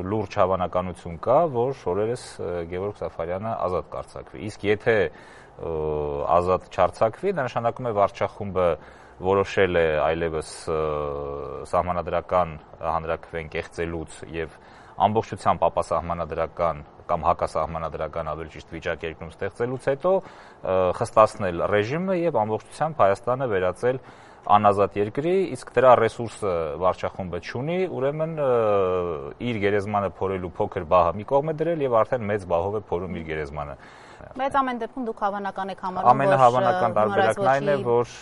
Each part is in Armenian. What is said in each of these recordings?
լուրջ հավանականություն կա, որ օրերս Գևորգ Սաֆարյանը ազատ կարձակվի։ Իսկ եթե ազատ չարձակվի, դա նշանակում է վարչախումբը որոշել է այլևս սահմանադրական հանրաքվեն կեղծելուց եւ ամբողջությամբ ապասահմանադրական կամ հակասահմանադրական ավելի ճիշտ վիճակերկրում ստեղծելուց հետո խստացնել ռեժիմը եւ ամբողջությամբ Հայաստանը վերածել անազատ երկրի, իսկ դրա ռեսուրսը վարչախումբը չունի, ուրեմն իր գերեզմանը փորելու փոքր բահը մի կողմ է դրել եւ արդեն մեծ բահով է փորում իր գերեզմանը։ Բայց ամեն դեպքում դուք հավանական եք համարում, ամենահավանական տարբերակն այն է, որ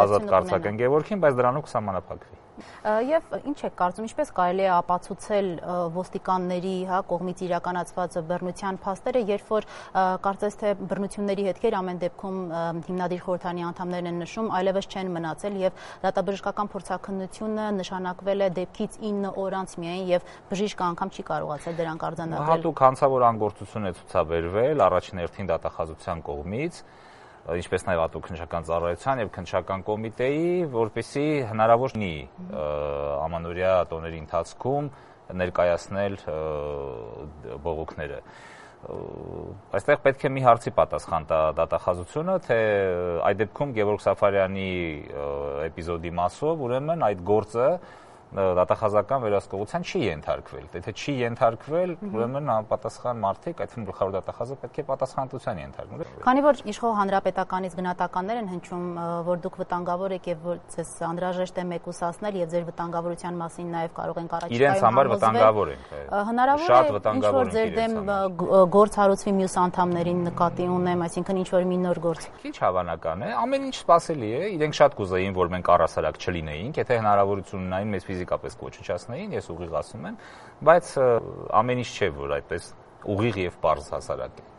ազատ կարձակեն Գևորգին, բայց դրանով կսահմանափակվի։ Եվ ինչ եք կարծում, ինչպես կարելի է ապացուցել ոստիկանների կողմից իրականացված բռնության փաստերը, երբ որ կարծես թե բռնությունների հետքեր ամեն դեպքում հիմնադիր խորհրդարանի անդամներն են նշում, այլևս չեն մնացել եւ դատաբժշկական փորձաքննությունը նշանակվել է դեպքից 9 օր անց միայն եւ բժիշկը անգամ չի կարողացել դրանք արձանագրել։ Հատուկ հանցավոր անգործություն է ցուցաբերվել առաջին հերթին դատախազության կողմից, ինչպես նաև հատուկ քննչական ծառայության եւ քննչական կոմիտեի, որպեսզի հնարավոր լինի ամանորյա տոների ընթացքում ներկայացնել բողոքները։ Այստեղ պետք է մի հարցի պատասխան տա դատախազությունը, թե այդ դեպքում Գևորգ Սաֆարյանի էպիզոդի մասով ուրեմն այդ գործը դատախազական վերահսկողության չի ենթարկվել։ Եթե չի ենթարկվել, ուրեմն անպատասխան մարդիկ, այդ թվում գլխավոր դատախազը պետք է պատասխանատվության ենթարկվեն։ Քանի որ իշխող հանրապետականից գնահատականներ են հնչում, որ դուք վտանգավոր եք եւ որ ձեզ անհրաժեշտ է մեկուսացնել եւ ձեր վտանգավորության մասին նաեւ կարող ենք առաջիկայում իրենց համար վտանգավոր ենք։ Հնարավոր է ինչ-որ ձեր դեմ գործ հարուցվի մյուս անդամներին նկատի ունեմ, այսինքն ինչ-որ մի նոր գործ։ Քիչ հավանական է, ամեն ինչ սպասելի է, իրենք շատ կուզեին, որ մենք առհասարակ չլինեինք, եթե հնարավորություն ունենային մեզ ֆիզիկապես կոչնչացնեին, ես ուղիղ ասում եմ, բայց ամեն ինչ չէ, որ այդպես ուղիղ եւ պարզ հասարակ է։